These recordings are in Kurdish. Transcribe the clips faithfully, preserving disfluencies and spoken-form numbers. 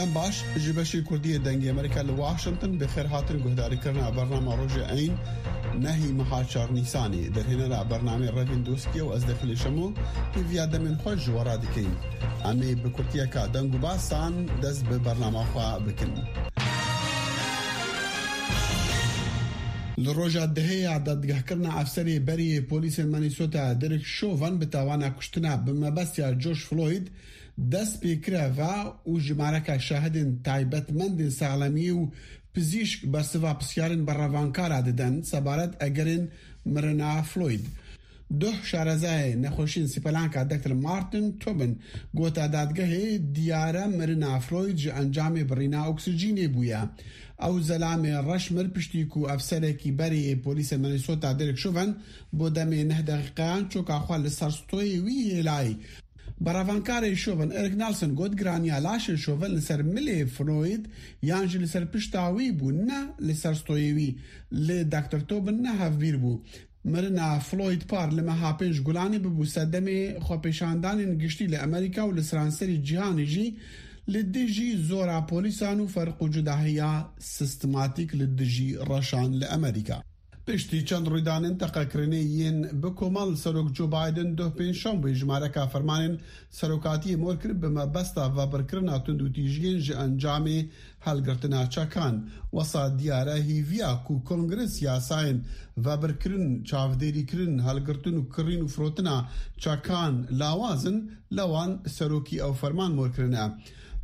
Em baş, ji beşê Kurdî yê Dengê Amerîka li Washington bi xêr hatin guhdarîkirina bernama Rojê Eyn, nehî meha çar Nîsanê. Derhênera bernamê Revîn Doskî ye û ez Dexilê Şemo, hêviya demên xwe ji we re dikeyin. Em ê bi kurtiyeka deng û basan dest bi bernama xwe bikin. Li roja dehê ya dadgehkirina efserê berê yê polîsên Minnesota Derek Chauvin bi tawana kuştina bi mebestiya George Floyd dest pê kire ve û jimareka şahidên taybetmendên saxlemiyê û pizîşk bersiva pisyarên berevankara didin sebaret egerên mirina Floyd. Duh şarezayê nexweşiyên sîpelanka Doktor Martin Tobin gote dadgehê diyare mirina Floyd ji encamê birîna oksijînê bûye. Ew zelamê reş mir piştî ku efserekî berê yê polîsê Minnesota Derek Chauvin bo demê neh deqîqeyan çoka xwe li ser stoyê wî hêlayî. Berevankarê Chauvin Eric Nelson got giraniya laşên Chauvin li ser milê Floyd yan jî li ser pişta wî bû, ne li ser stoyê wî. Lê Doktor Tobin ne hevbîr bû. Mirina Floyd Par li meha pênc Gulanê bibû sedemê xwepêşandanên giştî li Amerîka û li seranserî cîhanê jî li dijî zora polîsan û ferq û cudahiya sistematîk li dijî reşan li Amerîka. Piştî çend rûydanên teqekirinê yên bi koman li Serok Joe Biden doh pêncşembe jimareka fermanên serokatiyê mor kir bi mebesta vebirkirina tundûtîjiyên ji encamê helgirtina çekan. Wesa diyare hêviya ku Kongres yasayên vebirkirin, çavdêrîkirin, helgirtin û kirîn û firotina çekan lawaz in, li wan serokî ew ferman mor kirine.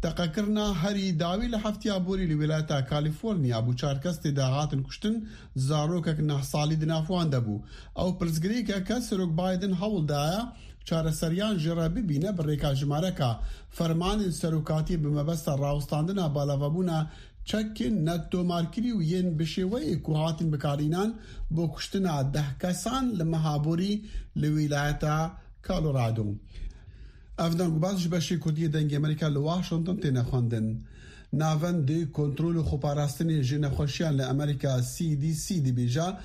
Teqekirina herî dawî li heftiya borî li wîlayeta Kalîforniya bû, çar kes tê de hatin kuştin, zarokek neh salî di nav wan de bû. Ew pirsgirêkeke Serok Biden hewl daye çareseriyan jê re bibîne bi rêka jimareka fermanên serokatiyê bi mebesta rawestandina balavabûna çekên netomarkirî û yên bi şêweyê ku hatin bikarînan bo kuştina deh kesan li meha borî li wîlayeta Colorado. Ev deng û bas ji beşê Kurdî yê Dengê Amerîka li Washington têne xwendin. Navendê Kontrol û Xweparastinê ji Nexweşiyan li Amerîka, C D C, dibêje,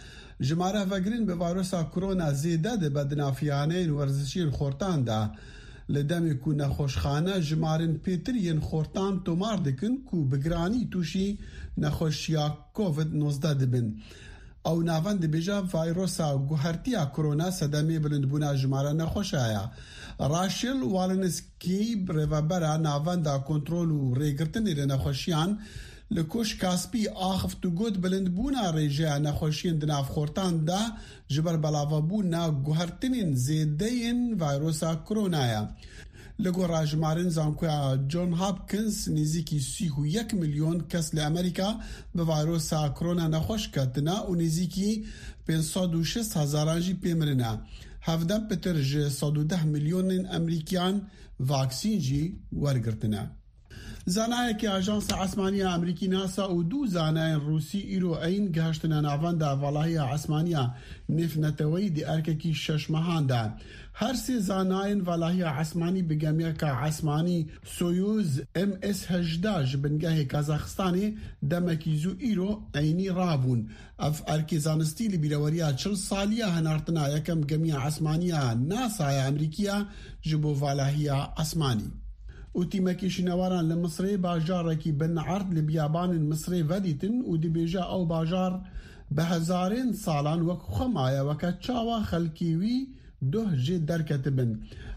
jimare vegirên bi vayrosa korona zêde dibe di nav xaneyên werzişiyên xortan de. Li demê ku nexweşxane jimarên pêtir yên xortan tomar dikin ku bi giranî tûşî nexweşiya covid nozdeh dibin. Ew navend dibêje, vayrosa guhertiya korona sedemê bilindbûna jimara nexweşa ye. Rachel Walensky, rêvebera Navenda Kontrol û Rêgirtinê li Nexweşiyan, li Koşka Spî axift û got, bilindbûna rêjeya nexweşiyên di nav xortan de ji ber belavebûna guhertinên zêde yên vayrosa korona ye. Li gora jimarên zankoya John Hopkins, nêzîkî sî û yek milyon kes li Amerîka bi vayrosa korona nexweş ketine û nêzîkî pênc sed û şêst hezaran jî pê mirine. Hevdem pitir ji sed û deh milyonên Amerîkiyan vaksîn jî wergirtine. Zanayekî Ajansa Esmaniya Amerîkî NASA û du zanayên Rûsî îro eyn gihiştine navenda valahiya esmaniya nêvneteweyî di erkekî şeş mehan de. Her sê zanayên valahiya esmanî bi gemiyeka esmanî Soyuz M S hejdeh ji bingehê Kazaxistanê demekî zû îro eynî rabûn. Ev erkê zanistî li bîreweriya çil saliya hinartina yekem gemiya esmaniya NASA ya Amerîkiya ji bo valahiya esmanî. Û tîmekî şînewaran li Misrê bajarekî bin erd li biyabanên Misrê vedîtin û dibêje ew bajar bi hezarên salan wek xwe maye, weke çawa xelkê wî duh jê derketibin.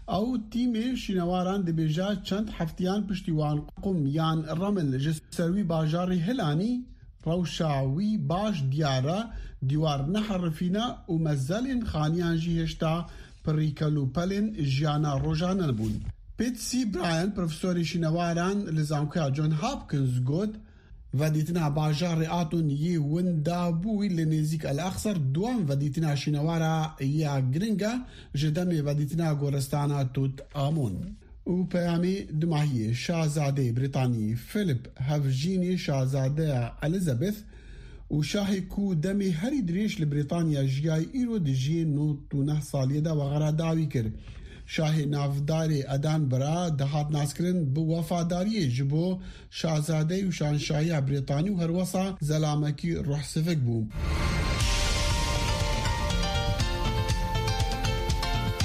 Ew tîmê şînewaran dibêje çend heftiyan piştî wan qum yan remil ji ser wî bajarî hilanî, rewşa wî baş diyar e, dîwar neherifîne û mezelên xaniyan jî hêşta pirî kelûpelên jiyana rojane bûn. Patsy Bryan, profesorê şînewaran li Zankoya John Hopkins got, vedîtina bajarê Aton yê winda bû li nêzîk El Exer, duem vedîtina şînewara ya giring e ji demê vedîtina goristana Tut Amûn. Û peyamê dumahiyê, Şazadeyê Brîtanî Philip, hevjînê Şazadeya Elizabeth û şahê ku demê herî dirêj li Brîtanya jiyayî, îro di jiyê nod û neh saliyê de wexera dawî kir. Şahê navdarê Edinburgh dihat naskirin bi wefadariyê ji bo şazadeyî û şanşahiya Brîtanî û herwesa zelamekî ruhsivik bû.